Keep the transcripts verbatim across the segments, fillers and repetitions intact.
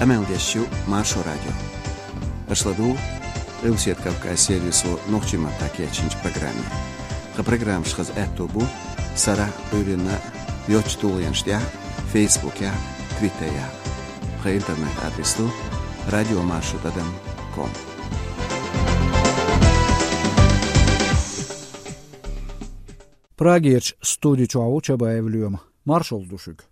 Къамел деш ю Маршо радио. Аша ладугӀу Къилбаседа Кавказ сервисо нохчийн маттахь кечйинчу программе. Тхан программаш хаза аьтто бу сарахь, Ӏуьйранна йоцчу тулгӀенаш тӀехь, Фейсбукехь, Твиттерехь. Тхан интернет-адрес ду радиомаршо тӀадам ком. Прагерчу студи чохь ву Чабаев Лоьма. Маршалла ду шуьга.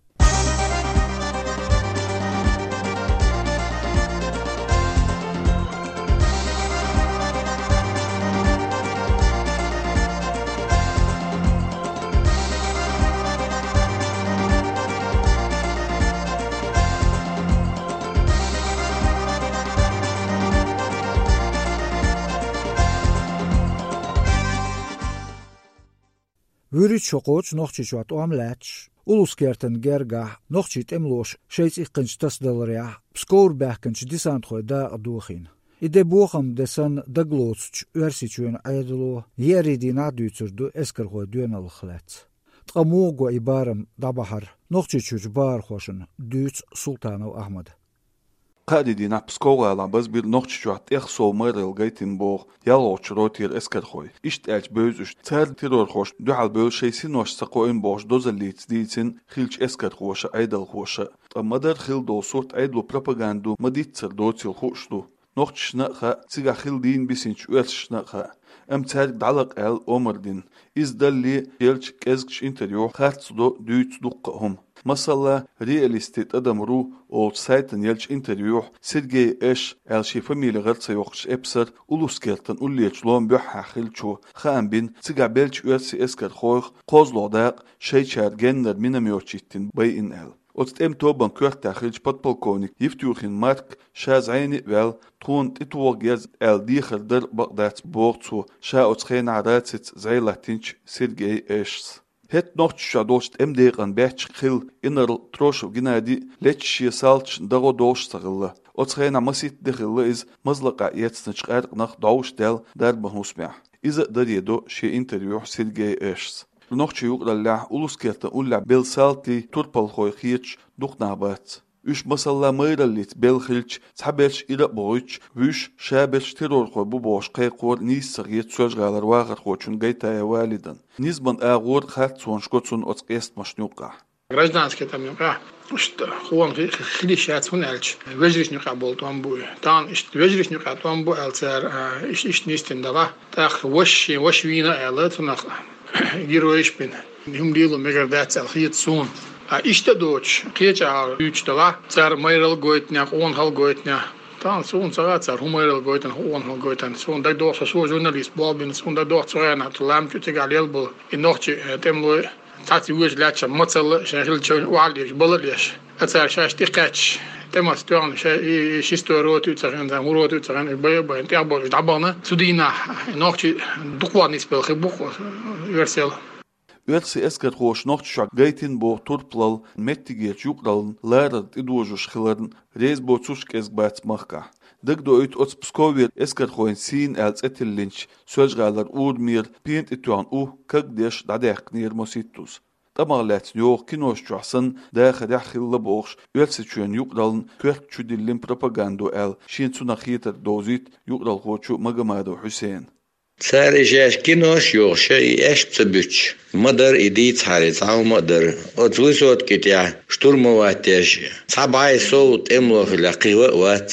ВуьрхӀитта шо кхочу Нохчийчохь тӀом лаьтташ, Улус-Кертан гергахь нохчийн тӀемалоша шайца иккхинчу тасадаларехь Псковера баьхкинчу десантхойн дакъа дохийна. И де бохаман де санна дагалоцучу Оьрсийчоьнан Ӏедало еарин дийнахь а дуьйцур ду эскархойн доьналлех лаьцна. Ткъа муха го и барам дӀабахьар Нохчийчуьрчу бахархошна, дуьйцу Султанов Ахьмада. Кхаарин дийнахь Псков-гӀалахь базбира Нохчийчохь тӀех сов майралла гайтина боху ялхолгӀачу ротера эскархой. Иштта аьлча бевза уьш, цара террорхошна дуьхьал бевлла шайн синош ца кхоийна бохуш дозаллица дийцина хиллачу эскархоша а, Ӏедалхоша а. Ткъа ма-дарра хилла долу сурт Ӏедало пропаганда ду ма-дийццара доцийла хууш ду. Нохчашна а хаьа, цигахь хилла дийна бисинчу оьрсашна а хаьа. Амма цаьрга дӀалакха аьлла омра дина. Иза далале а, еллачу кӀезгачу интервьюхь харц до, дуьйцу дуккха а хӀума. Масала, «Реалисты тӀадам ру» олучу сайтана еллачу интервьюхь Сергей Эш аьлла шен фамили гӀара ца йоккхучу эпсара Улус-Кертан уллерачу ломан буьххьехь хиллачо хаам бина, цигахь беллачу оьрсийн эскархойх кхозлагӀа дакъа шайчара геннара миномёташ йиттина байина аьлла. Оцу тӀеман тобанан коьртехь хиллачу подполковник Евтюхин Марка ша зӀене а ваьлла, тхуна тӀетоха герз аьлла дехар дара бакъ дац, боху цо, ша оцу хенахь рацица зӀе латтийначу Сергей Эшас. ХӀетахь Нохчийчохь долчу тӀеман декъан баьчча хилла инарла Трошев Геннадий леташ шен салташна дагӀо долуш а ца хилла. Оцу хенахь масийтта де хилла иза мазлакъахь эцначу къаьркъанах дӀовш даьлла дарбан хӀусамехь. Иза а даре до шен интервьюхь Сергей Эшас. Нохчийн юкъараллехь, Улус-Кертан уллехь белла салтий турпалхой хеташ дукха нах бац. Уьш, масала, майраллица белла хилча, цхьаберш ира а бохуьйтуш, вуьш шаберш террорхой бу бохуш кхайкхор нийса ца хета Соьлжа-ГӀалара вахархочунна Гайтаев Валидан. Низаман агӀор харцонаш го цунна оцу къестамашна юккъехь. Гражданский тӀеман юкъахь иштта хӀума хи-, хи-, хила йиш яц, хӀунда аьлча вежаршна юкъахь болу тӀом бу и. Тахана иштта вежаршна юкъахь тӀом бу аьлла цара, а, иш-, иштта нисдина делахь, тӀаккха ваша шен ваша вийна аьлла, цунах геройш бина. ХӀума лело мегар дац аьлла хета суна. Ткъа иштта а доцуш, кхечу агӀор дуьйцуш делахь, цара майралла гойтинехь, къонахалла гойтинехь. Тахана суна ца хаьа цара хӀун майралла гойтина, хӀун къонахалла гойтина. Суна дагадогӀу, со, со журналист болх бина, суна дагадогӀу цу хенахь цу ламчу цигахь лелла болу и нохчийн, э, тӀемалой цхьацца вуьйш лаьтташ мацалла а, шайн хиллачу охьа а леш, бала а леш. Ткъа цара шаьш тӀекхаьчча, тӀемаца тоьхна ша и, и шестой рота ю ца хиъна, второй рота ю ца хиъна, бай а байна, тӀехболуш дӀабахана. Цу дийнахь нохчий дукха ван нисбелла хи бу-кх оьрсел. Оьрсийн эскархоша Нохчийчохь гайтина боху турпалалла меттигерчу юкъараллин ларар тӀедожош хиларна реза боцурш кӀезиг бац махкахь. Дагадоуьйту оцу Псковера эскархойн сийна аьлла цӀе тиллинчу Соьлжа-ГӀалара урамера пена тӀе тоьхна у кагдеш дӀадаьккхинера масийттаза. ТӀамах лаьцна йогӀу киношна чохь санна дахарехь хилла бохуш, Оьрсийчоьнан юкъараллин коьрта чу диллина пропагандо аьлла, шена цунах хетарг довзуьйту юкъаралхочо Магомадов Хьусена. Цара и шаьш кинош а йохуш, и эшпа ца буьтуш, ма-дарра и дийцахьара, цхьа хӀума а дара. Оцу высотки тӀехь штурмовать деш, цхьа бӀе сов тӀемало хилахь, кхин ван а вац.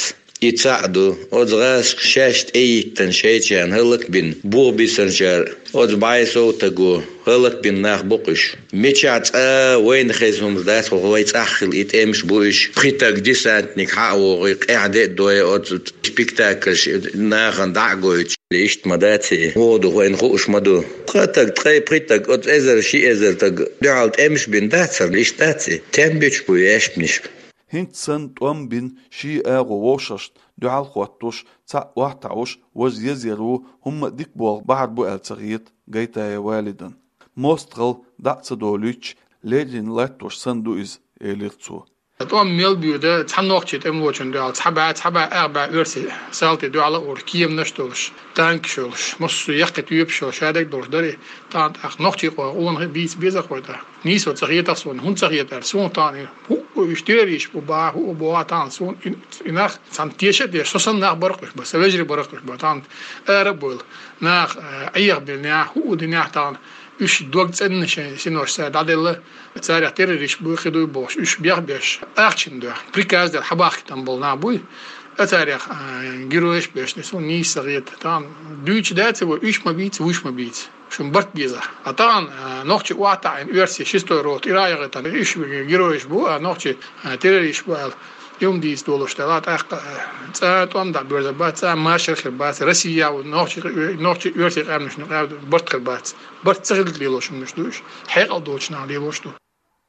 И цхьаъ ду, оцу гӀазкхаша шаьш тӀеиттина шайчарна хӀаллакбина, бух бисинчара, оцу бӀе сов стага хӀаллакбина нах бу-кх уьш. Мичахь цкъа а вайна хезна хӀуманаш дац, хӀокху вайн цӀахь хилла и тӀемаш бу уьш. Пхи стаг десантник хьа а вогӀий, къаьхьа де а дой, оцу спектакльш нахана дӀа а гойтуш. Иштта ма дац и, вогӀу ду вайна хууш ма ду. Ткъа стаг, ткъе пхи стаг, оцу эзар, ши эзар стаг дуьхьал тӀемаш бина дацара, иштта дац и. Тем буьтуш бу и эшпанаш. ХӀинца санна тӀом бина шен агӀо вовшашна дуьхьал а хӀоттош, цхьаъ охьатаӀош, важа еза яр ву, хӀумма а дика болх бахьар бу аьлла ца хета Гайтаев Валидан. МостагӀалла дӀа а ца долуьйтуш, леррина латтош санна ду иза, элира цо. ТӀом мел боьду, цхьа нохчийн тӀемалочунна дуьхьал, цхьа бӀе, цхьа бӀе, ах бӀе оьрсийн салти дуьхьал а ур, кеманаш а долуш, танкаш а йолуш, массо а яккхий тоьпаш а йолуш, шадерг а долуш дара и. Тахана тӀаккха нохчийн къо-, къонахий бийца беза-кх вай тӀаккха. Нийсо ца хета-кх суна, хӀунда ца хета аьлча, суна тахана и хӀуъа Уьш террорист бу баха, хӀу бу а тахан суна и, и нах цхьана теша а деш, со санна нах баркъуш ба, са вежарий баркъуш ба, тахан ара а бовла, нах, э, Ӏехабелла нах, хӀу а динах тахан, уьш дог цӀенна шайн синош цара дӀаделла, царех террорист буй, кхидуй бохуш, уьш бехбеш, ахчана дуьхьа, приказ дер хьабахкийтам болу нах буй, а царех, э, геройш беш, суна нийса ца хета, тахан дуьйцуш дац вай, уьш ма бийца, вуьш ма бийца. Шун барт беза. А тахана, а, нохчи охьатаӀийна оьрсийн шестой рота ираяхийтан, уьш геройш бу, а, нохчи, а, террорист бу аьлла, юм дийца долуш дела, тӀаккха, а, цкъа а тӀом дӀабоьрзур бац, цкъа а машар хир бац, Россия а ву, нохчи, нохчи оьрсийн къаьмнашна къаьмнаш барт хир бац. Барт ца хилла лелош хӀуманаш ду уьш, хьекъал доцучу наха лелош ду.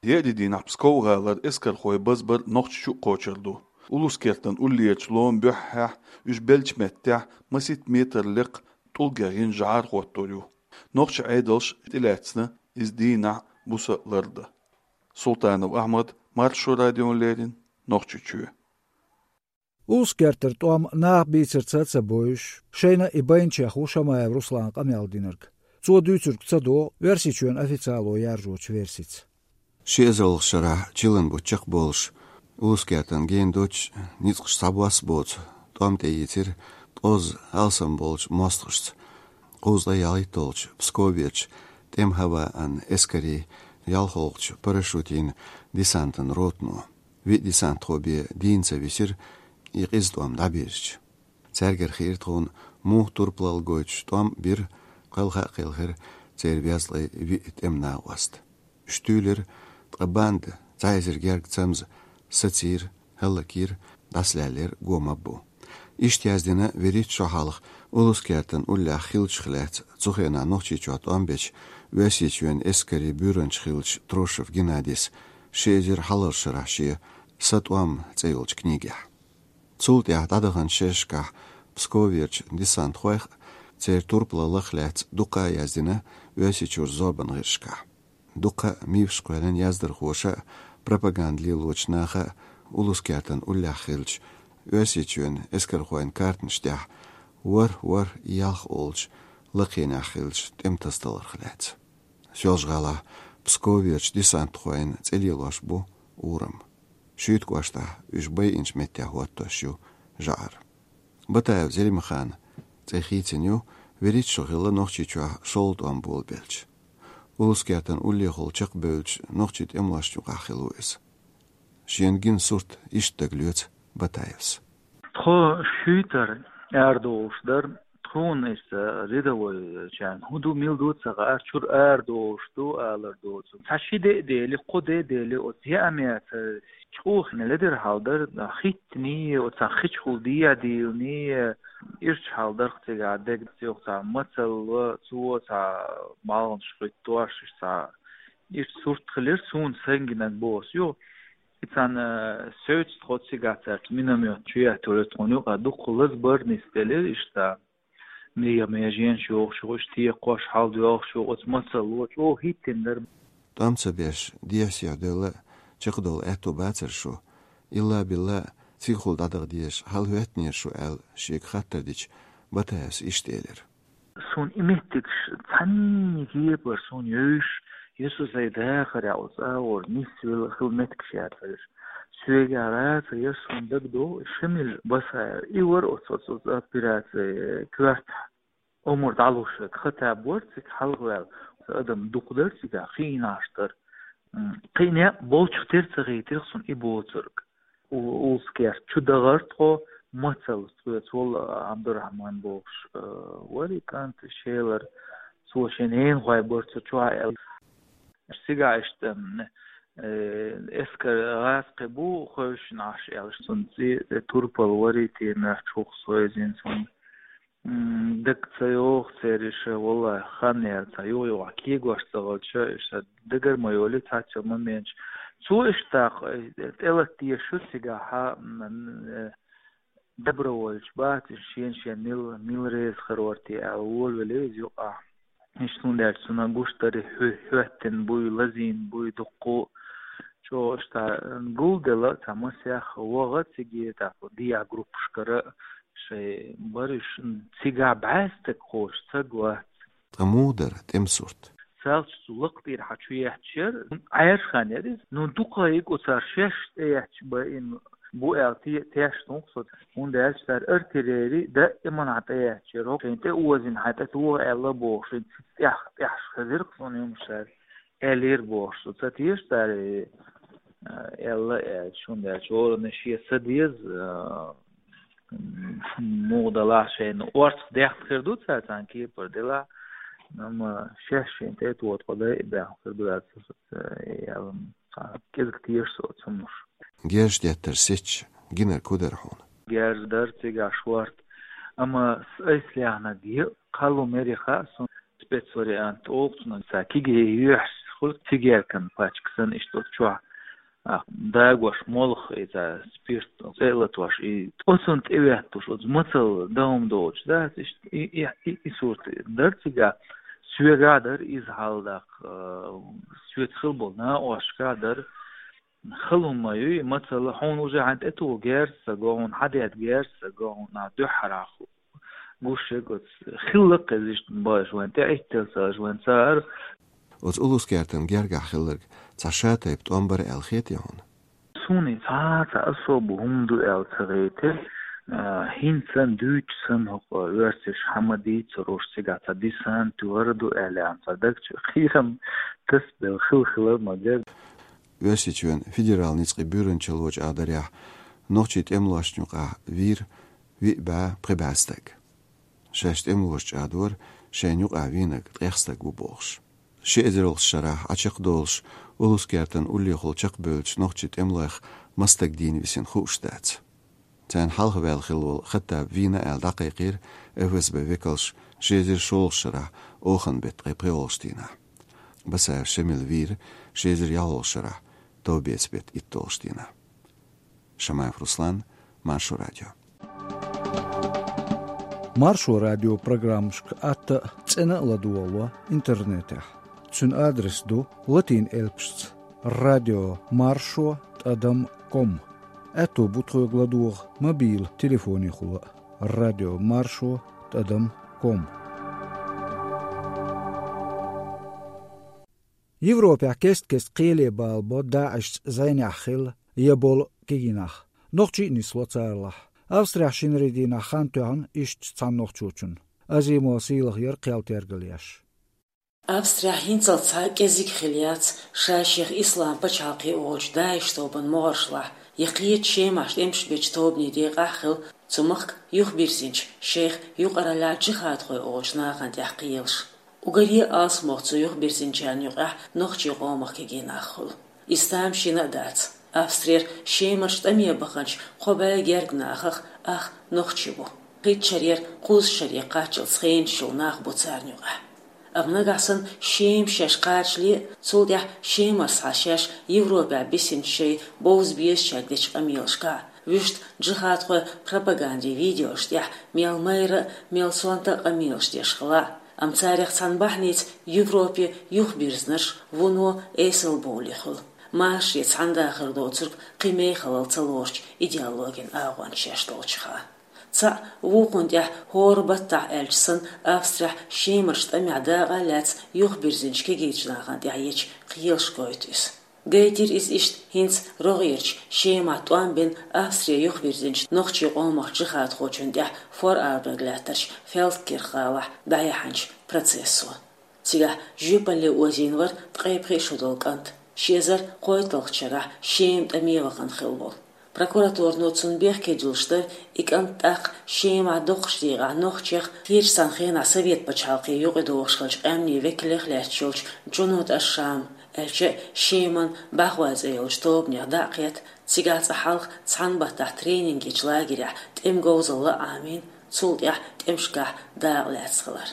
Еарин дийнахь Псков-гӀалара эскархой базбар Нохчийчу а кхочур ду. Улус-Кертан уллерчу ломан буьххьехь уьш беллачу меттехь масийтта метр лекха тӀулгехь йина жӀар хӀоттор ю. Нохчийн Ӏедалша тӀелаьцна иза дийнахь буса лардан. Султанов Ахьмад, Маршо радиона леррина, Нохчийчоь. Улус-Кертара тӀом наха бийцарца а ца бовзуш, шайна и байначех ву Шамаев Руслана къамел динарг. Цо дуьйцург ца догӀу Оьрсийчоьнан официало яржочу версица. Ши эзарлагӀчу шарахь чиллан бутт чекхболуш, Улус-Кертан гена доцчу, ницкъаш схьабосса боцу тӀом тӀеийцира тӀозза алсам болчу мостагӀашца кхузткъе ялхитталгӀачу Псковерчу тӀеман хӀаваан эскарийн ялхолгӀачу парашютийн десантан ротано. Виъ десантхо бен дийна ца висира и къиза тӀом дӀабирзича. Цаьргара хиира тхуна муха турпалалла гойтуш тӀом бира, кхелха а кхелхира церан безткъе виъ тӀеман накъост. Уьш туьйлира, ткъа банда, цхьа эзар гергга цамза, сацийра, хӀаллакйира, дӀасалаьллера го-маббо. Иштта яздина вуьрхӀитта шо хьалха Улус-Кертан уллехь хиллачух лаьцна цу хенахь Нохчийчохь тӀом бечу Оьрсийчоьнан эскарийн буьйранча хиллачу Трошев Геннадис ши эзар хьалхарчу шарахь шен «Сан тӀом» цӀе йолчу книгехь. Цул тӀаьхьа дӀадаханчу шерашкахь Псковерчу десантхойх а, церан турпалаллах а лаьцна дукха а яздина Оьрсийчуьра зорбан гӀирсашкахь. Дукха а мифаш кхоьллина яздархоша а, пропаганда лелочу наха а Улус-Кертан уллехь хиллачу Оьрсийчоьнан эскархойн картанаш тӀехь ВорхӀ-ворхӀ-ялх олучу лакхенехь хиллачу тӀеман тасадаларх лаьцна. Соьлжа-ГӀалахь Псковерчу десантхойн цӀе лелош бу урам. Шуьйта кӀоштахь уьш байинчу меттехь хӀоттош ю жӀар. Батаев Зелимхана цӀе хийцина ю вуьрхӀитта шо хилла Нохчийчохь шолгӀа тӀом болабелча. Улус-Кертан уллехула чекхбевллачу нохчийн тӀемалошна юкъахь хилла ву иза. Шена гина сурт иштта дагалоьцу Батаевс. Тхо шуьйтара арадолуш дара, тхуна иштта рядовойчарна хӀун ду, мила ду ца хаьара, чуьра арадолуш ду алар доцург. Цхьа ши де а дели, кхо де а дели, оцу яа меца чӀогӀа ледара хьал дара, хӀиттаний, оцу хичахула дехьа дийланий, ирча хьал дара цигахь дегнаш, цигахь цхьа мацалла, цо цхьа балханаш хӀиттош, цхьа ирча сурт хилира суна, сайн гинарг боху ас. И цхьана, э, соьца тхо цигахь цаьрца миномет чу яьттора тхуна юкъа, дуккха лаза бара нисделира иштта. Мегаш-мегаш йогӀуш ю, иштта текхош, хьалдоьлхуш ю, оцу мацалло чӀогӀа хӀиттина дара. ТӀом ца беш, дехьа-сехьа девлла чекхдовла аьтто бацара шу? Илла-билла, цигахула дӀадаха дезаш хьал хӀоьттинера шу аьлла, шега хаттар дича, Батаевс иштта элира. Суна и меттигаш цхьанне кепара суна евзаш, я со сайн дахарехь оцу агӀор нисвелла хила меттигаш яцара. Соьгахь лаьцна яра суна дагадогӀу Шамил Басаев. И вара оцу, оцу, оцу операци коьртахь омра дӀалуш верг. Хаттаб вара цига хьалхаваьлла. Адам дукха дара цигахь, кхин а нах дара. М, кхин а болчух тера ца хийтира суна и боцург. У-, Улус-Керта чу дахара тхо, мацалла цуьнца волу Абдурахман бохуш, э, вара и кӀант, шелара. Цо шен ненахой бара цу чохь аьлла. Цигахь иштта, м, э, эскар гӀазкхи бу хевшина Ӏаш аьлла, цуьнан цӀе, э, турпал вара и, те моьттуш хӀух сойзина цунна. М, дага ца йогӀу церан иша, валлахӀи, хан яра цхьа юха-юха кегош ца хилча, иша дагара ма йолу цхьацца моменча. Цо иштта, э, тӀелатта дезаш ю цигахь, м, э, доброволец бац, иша шен-шен мила, мила реза хир вара те аьлла, волавелира иза юкъахь. Иштта хӀунда аьлча цунна гуш дара хӀоь-, хӀоьттина буй, лазийна буй дуккха а. ЧӀогӀа иштта гулделла цхьа масех ваха цига, тӀаккха диа группашкара шайн бариш, цигахь бӀаьстаг кхочуш ца гуш вац. Ткъа муха дара тӀеман сурт? Цалча цу лакха тӀера хьа чу етташ яр, Ӏаьржа хан яр из. Ну, дукха йига оцара шаьш тӀаетташ ба им бу аьлла те-, тешаш тункъ со. ХӀунда аьлча цара артиллери даиман хьа тӀаетташ яр. ХӀокхуьн тӀе озина хьа тӀе тоха аьлла бохуш, ин цица тӀех-, тӀехьаш хезира-кх цунна юмаш цара. Аьллера бохуш со. Ца теша цара, э, аьлла, аьлча, хӀунда аьлча, хӀоранна шен са деза, э, муха далахь шайна орцах дехта хир ду цара цхьана кепара делахь, амма шаьш шайна тӀе тоха тхо дайа баьхна хир ду аьлла, ца, ца, яла, цхьа кӀезига теша со цуннаш. Герз деттар сецча, гинарг хӀун дара хьуна? Герз дара цигахь шорта, амма с-, айса лехнарг е кхаллу мери хаьа суна, спецвариант олу цунах, ца киге йоьхьаш хуьлу цигаьркан пачка санна иштта оцу чохь. А, дагош молха иза спирт цӀе а латош, и оцунна тӀе веттуш, оцу мацалла дан хӀума долчу, дац, иштта и, и, и, и сурт дара цигахь, соьгахь дара иза хьалдаккха, а, соьца хила болу накъосташкахь дара. Хала хӀума ма ю и мацалла, хьуна уже хьан тӀе туху герз ца го, хьуна хьан детта герз ца го, хьуна дуьххьара гуш ерг оцу хилла-кх иза иштта бохуш вайн тӀе Ӏитталла ца аш вайн цара. Оцу Улус-Кертан гергахь хилларг цхьа шатайпа тӀом бара аьлла хетий хьуна? Суна и цхьа а цхьа особо хӀума ду аьлла ца гайтира, а, хӀинца санна, дуьйцуш санна хӀокху оьрсаша хьан ма дийцур уьш цигахь цхьа десант вара ду аьлла, цхьа даг чу кхерам тасабелла хила хилар ма дера. Оьрсийчоьнан федералан ницкъийн буьйранчалло чӀагӀдарехь, нохчийн тӀемалошна юкъахь вийра виъ бӀе, пхи бӀе стаг. Шаьш тӀемалоша чӀагӀдора, шайна юкъахь вийнарг ткъех стаг ву бохуш. Ши эзарлагӀчу шарахь Ӏа чекхдолуш, Улус-Кертан уллехула чекхбевллачу нохчийн тӀемалойх маса стаг дийна висина хууш дац. Царна хьалха ваьлла хилла волу Хаттаб вийна аьлла дӀакхайкхийра ФСБ векалш ши эзар шолгӀачу шарахь оханан беттан ткъе пхоьалгӀачу дийнахь. Басаев Шамил вийра ши эзар ялхолгӀачу шарахь товбецан беттан итталгӀачу дийнахь. Шамаев Руслан, Маршо радио. Маршо радио программашка атта а, цӀена а ладогӀало интернетехь. Цуьнан адрес ду латин элпашца: радио маршо тӀадам ком. Аьтто бу тхоьга ладогӀа мобил телефонехула а: радио маршо тӀадам ком. Европехь кест-кеста кхеле балабо ДАИШца зӀенехь хилла я болу кегий нах. Нохчий а нисло царалахь. Австрехь шинарин дийнахь хан тоьхна иштта цхьана нохчочунна. Азимова Сийлахьера кхел тергал еш. Австрехь хӀинццалц цхьа а кӀезиг хилла яц ша-шех Ислам пачхьалкхе олучу ДАИШ тобанан могӀаршлахь я кхечу Шемахь тӀемаш бечу тобанийн декъахь а хилла цу махка юхабирзинчу, шайх юкъараллехь джихадхой олучу нахана тӀехь кхелаш. Уггаре а алсамох цу юхабирзинчарна юкъахь нохчийн къомах кегий нах хуьлу. Иза тамашийна а дац. Австрера Шемарчу тӀаме баханчу кхо бӀе гергга нахах ах нохчи бу. КхидӀа шарера кхузткъа шаре кхаччалц хенаш йолу нах бу царна юкъахь. Амма нагахь санна Шема шаьш кхачале а, цул тӀаьхьа Шемара схьа шаьш Европехь бисинчу шайн бовза безачаьрга дечу къамелашкахь, вуьшта джихадхойн пропагандин видеошна тӀехь мел майра а, мел сонта а къамелаш деш хилла а, амма царах цхьана бахьаница Европе юхабирзинарш вуно эсалбовлий хуьлу, машаре цхьаьна дахар доцург кхин мехалла ца лоручу идеологин агӀончаш шаьш долчуха. Цхьаъ вукхунна тӀехь хӀора баттахь аьлча санна, Австрехь Шемарчу тӀамехь дакъа а лаьцна юхабирзинчу кегийчу нахана тӀехь ечу кхелаш гойту иза. Гайтира иза иштта хӀинца рогӀерчу Шемахь тӀом бина Австре юхавирзинчу нохчийн къомах джихадхочунна тӀехь Форарберг лаьттарчу Фелдкирх гӀалахь дӀаяьхьначу процессо. Цигахь жоьпалле озийна вара ткъе пхи шо долу кӀант, ши эзар кхойтталгӀачу шарахь Шема тӀаме вахана хилла волу. Прокуратуро цунна бехке дуьллуш дара, и кӀант тӀаккха Шемахь доккхачу декъехь нохчех, кхечу цхьана хенахь Совет пачхьалкхе юкъадогӀуш хиллачу къаьмнийн векалех лаьтташ йолчу Джунуд аш-Шам, аьлча а Шеман бӀаьхой цӀе йолчу тобанех дӀа а кхетта, цигахь цкъа хьалха цхьана баттахь тренинг ечу лагерехь тӀеман говзалла а Ӏамийна, цул тӀаьхьа тӀемашкахь дакъа лаьцна хилар.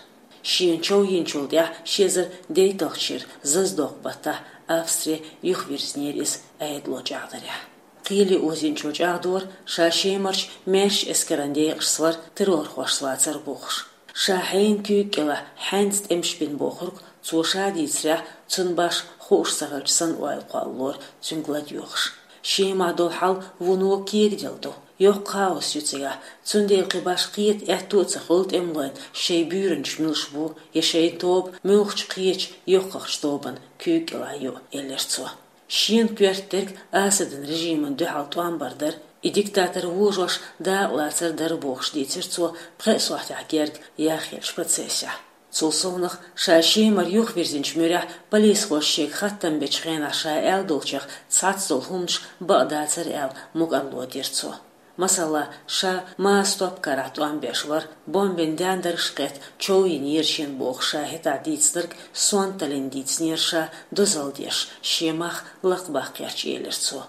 Шена чов йинчул тӀаьхьа ши эзар дейтталгӀачу шеран зазадоккху баттахь Австре юхавирзинера иза, Ӏедало чӀагӀдарехь. Кхеле озийначо чӀагӀдора, ша Шемарчу маьршачу эскаран декъашца вара террорхошца вацар бохуш. Ша хьенан куьйга кӀелахь хьаьнца тӀемаш бина бохург, цо ша дийцарехь, цунна башха хууш ца хилча санна ойла кхоллалора цуьнга ладоьгӀуш. Шемахь долу хьал вуно кегаделла ду. Йоккха хаос ю цигахь, цундела кхин башха кхета аьтто а ца хуьлу тӀемалойн шайн буьйранчаш муьлш бу, я шайн тоба муьлххачу кхечу йоккхачу тобанна куьйга кӀелахь ю, элира цо. Шена коьрта дерг Асадан режимана дуьхьал тӀом бар дара, и диктатор вожош дакъалацар дара бохуш дийцира цо пхеа сохьтехь герга яхъеллачу процессехь. Цул совнаха, ша Шемара юхавирзинчу муьрехь полисхоша шега хаттам бечу хенахь ша аьлла долчех цхьацца долу хӀуманаш бакъ дацара аьлла мукӀарло дира цо. Масала, ша Маасстоп карахь тӀом беш вара, бомбин даьндаргаш кхетта чов йинера шена бохуш ша хӀетахь дийцинарг сонталлин дийцинера ша дозалла деш, шен мах лакхабаккхарца, элира цо.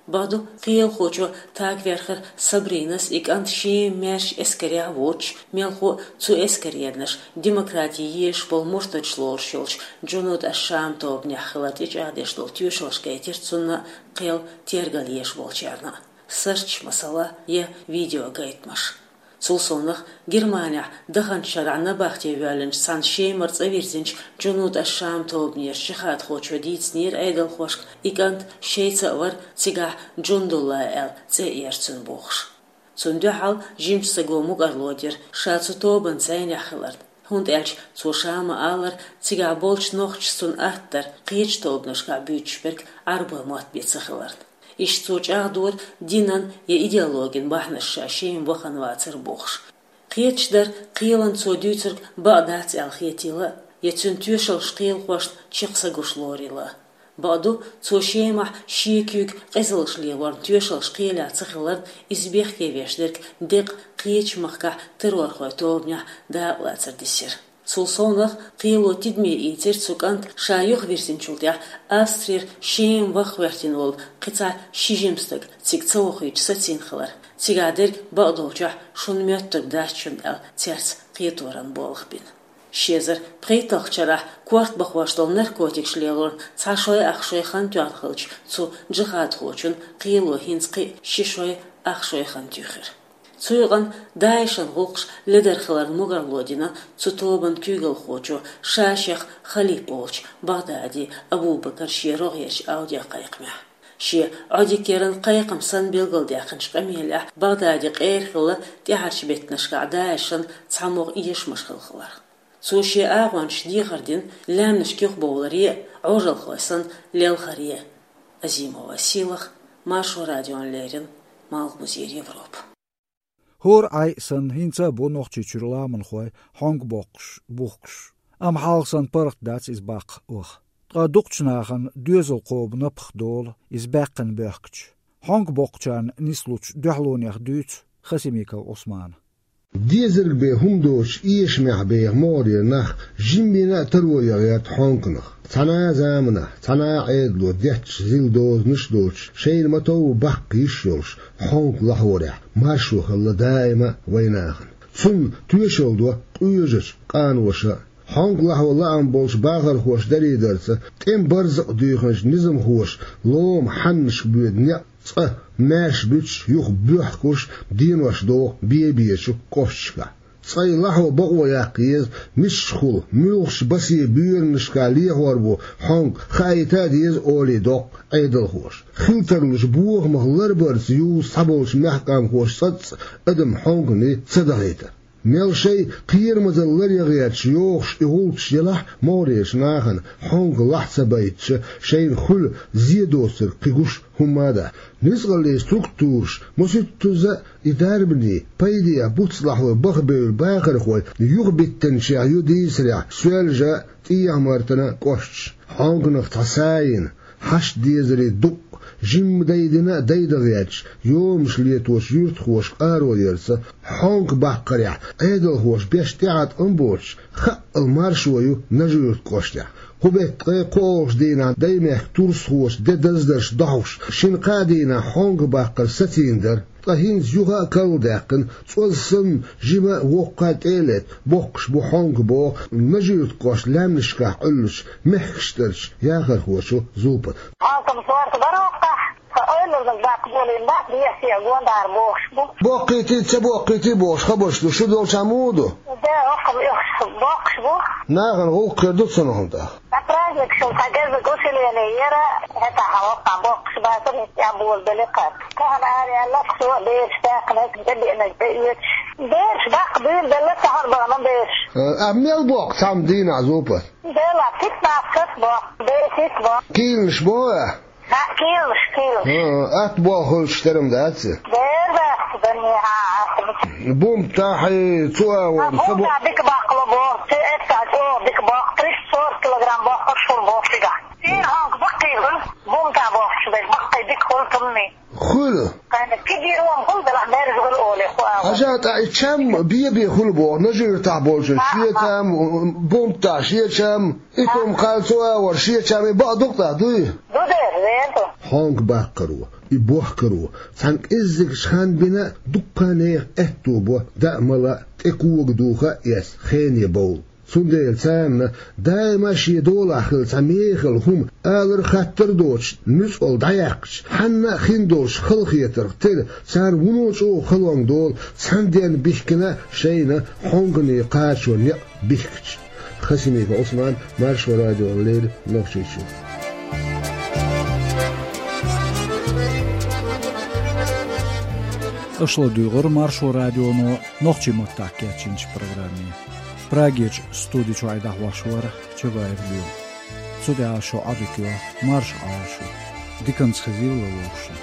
Бакъду, кхелахочо тагверхар Сабринас и кӀант Шема маьрша эскарехь а воцуш, мелхо а цу эскаренаш демократи езаш болу муртадаш лоруш йолчу Джунуд аш-Шам тобанехь хилар тӀечӀагӀдеш долу тоьшаллаш гайтира цунна а, кхел тергал езаш болчарна а. Сарч, масала, я видеогайтамаш. Цул совнаха, Германехь даханчу шарахь набахте воьллинчу цхьана Шемара цӀа вирзинчу Джунуд аш-Шам тобанера жихӀадхочо дийцинера Ӏедалхошка, и кӀант шайца а вара, цигахь Джундулла аьлла цӀе а яра цуьнан бохуш. Цунна дуьхьал жимачу стага мукӀарло дира ша цу тобанца зӀенехь хиларна, хӀунда аьлча цо ша ма-аллара, цигахь болчу нохчаша цунна атта дара кхечу тобанашкахь буьйцуш берг Ӏарбойн мотт бен ца хиларна. Иштта цо чӀагӀдора динан я идеологин бахьанаш ша Шема вахана вацар бохуш. Кхеташ дара, кхелан цо дуьйцург бакъ дац аьлла хетийла а, я цуьнан тоьшаллаш кхелахошна чекх са гуш лорийла а. Бакъду, цо Шемахь шен куьйга къизаллаш лелорна тоьшаллаш кхелехь ца хиларна, иза бехке веш дерг деккъа кхечу махкахь террорхойн тобанехь дакъалацар дисира. Цул совнаха, кхело тидаме ийцира цу кӀанта ша юхавирзинчул тӀаьхьа Австрера Шема ваха гӀоьртина волу кхин цхьа ши жима стаг цига ца вохуьйтуш сацийна хилар. Цигахь дерг бакъдолчохь шуна моьттург дац шуна аьлла, цаьрца кхеторан болх бина. Ши эзар пхийтталгӀачу шарахь корта бахош долу наркотикаш лелорна цхьа шой ах шой хан тоьхна хиллачу цу джихадхочун кхело хӀинца кхин а ши шой ах шой хан туьйхира. Цу юкъана ДАИШан гӀуллакхаш ледара хиларна мукӀарло дина цу тобанан куьйгалхочо ша шех халиф олучу БагӀдади Абу-Бакар шен рогӀерчу аудиокхайкхамехь. Шен Ӏодика яран кхайкхам санна билгалдаьккхинчу къамелехь БагӀдади къера хилла тӀаьхьарчу беттанашкахь ДАИШан цхьамогӀа эшамаш хилла хиларх. Цо шен агӀончашна дехар дина лаьмнашка юхабовларе а, Ӏожалхой санна, лелхаре а. Азимова Сийлаха, Маршо радиона леррина, Малхбузера Европа. ХӀора Ӏай а санна, хӀинца а бу Нохчийчуьра ламанхой хьонка боккхуш, бухкуш. Амма хьалха санна паргӀат дац иза баккха ваха. Ткъа дукхачу нахана доьзал кхобу напха долу иза баьккхина боьхкучу. Хьонка боккхучарна нислучу дуьхьалонех дуьйцу Хасимиков Ӏусмана. Дезарг бен хӀума доцуш эшамехь беха могӀарера нах жимма а таро ян гӀерта хьонканах. Цхьана а заманахь, цхьана а Ӏедало детташ зил дозанаш а доцуш, шайна ма-тов баккха йиш йолуш, хьонка лахьорехь маршо хилла даима а вайн нахана. Цунна тоьшалла до къоьжачу къаноша а. Хьонка лахьо лаам болчу бахархоша дарийдарца, тӀеман барзакъ дуьйхинчу низамхоша лома хьаннашка боьду некъ цкъа маьрша буьтуш, юха боьхкуш, денош доху бен-бечу кӀошташкахь. Цкъа и лахьо бакъо яккха еза, мичахула, муьлхачу басе боьранашкахь лехор бу хьонка, хаийта а деза, олий доккху Ӏедалхоша. Хила тарлучу бохамах ларбарца юзу цхьаболчу мехкан къамхоша цкъацкъа адам хьонканий ца дахийтар. Мел шайн кхерамазалла лар ян гӀерташ йохуш и гӀуллакхаш елахь а, могӀарерчу нахана хьонка лахь ца байтича, шайна хуьлу зен доцург кхин гуш хӀумма а дац. Нуьцкъаллийн структураша масийттазза а и дарбане, пайдехь буц лахьой бахабевлла бахархой юхабиттинчех ю дийцарехь Соьлжа а, ТӀехьа-Мартан а кӀошташ. Хьонканах цхьа са а йина, хьашт-дезарий дукъ, жимма дайдина а дайда гӀерташ, йомаш леточу юьртахоша къаро ярца, хьонка баккхарехь Ӏедалхоша беш тӀеӀаткъам боцуш, хаъал маршо ю Нажи-Юьртан кӀоштехь. Кху беттан ткъе кхоалгӀачу дийнахь Даймехкан турсхоша де даздарш дохьуш, шина-кхаа дийнахь хьонка баккхар сацийна дара. Ткъа хӀинца юха а карладаьккхина, цӀоз санна, жима а, воккха а тӀе а летта, боккхуш бу хьонка, боху Нажи-Юьртан кӀоштан лаьмнашкахь Ӏуьллучу мехкаштарчу яхархочо Зулпата. Хьонкам сорта бара оха, ткъа ойланиг даккха болийна бац, бехке а гондӀара бохуш бу. Боккхийтий, ца боккхийтий бохуш хабарш ду, шу долчохь муха ду? Да, оха бохуш бу. Нахана гӀуллакх хир ду цунах тӀаккха. Ткъа праздникашна цхьа геззиг усилий Яра, хӀета хьалха боккхуш бацар, хӀинца тӀехь болабелли кхаьб. Тахана ара аьлла, со бераш даьккхинарг, тӀебеанарг тӀеоьцуш. Бераш даккха дуьйладелла, тахана бахана бераш. А, а мел боккху цхьамма дийнахь зупа? Дела, пятнадцать боккху, десять боккху. Кийланаш боху а? ХӀаъ, кийланаш, кийланаш. ХӀа, атта боху хуьлуш терам дац? Дера дац, дан, хьа, атта. Бумтахь, цу агӀор, ца бу- Бумтахь дика баккхало боху, цу эццахь чӀогӀа дика боккху, триста сорок килограмм боккхуш хуьлу боху цигахь. Шена хьонка баккхий хуьлу, бумтахь боккхуш берг баккхий дика хуьлу тумни. Хуьлу. Кхайна кигий ром хуьлу, делахь мерза хуьлу олий хӀу агӀор. Хьажа, тӀаккха и чам бе-бе хуьлу боху, нажийтахь болчун шен чам, бумтахь шен чам, и тум кхалла цу агӀор шен чам, и бакъ ду-кх тӀаккха, дуй? Ду дера, вен ду. Хьонка баккхаро, и бохкаро, цхьана кӀеззигчу хан бина дуккха нехан аьтто бо, даа-мала, тӀе кога духа а эцна, хене бовла. Цундела царна даима шен долахь хилла цхьа мехала хӀума алар, хаттар а доцуш, нуьцкъала дӀаяьккхича, хьанна а хин долуш халахетарх тера, царна вуно чӀогӀа халонга долу цхьана денна бихкина шайна хьонгане кхачо некъ бихкича. Хасимиков Ӏусман, Маршо радиона леррина, Нохчийчоь. Аша ладуьйгӀира Маршо радионо нохчийн маттахь кечйинчу программе. Прагерчу студи чуьра и дӀахьош вара Чабаев Лоьма. Цу тӀехь шун Ӏадика йо, марша Ӏойла шу. Диканца хезийла вовшашна.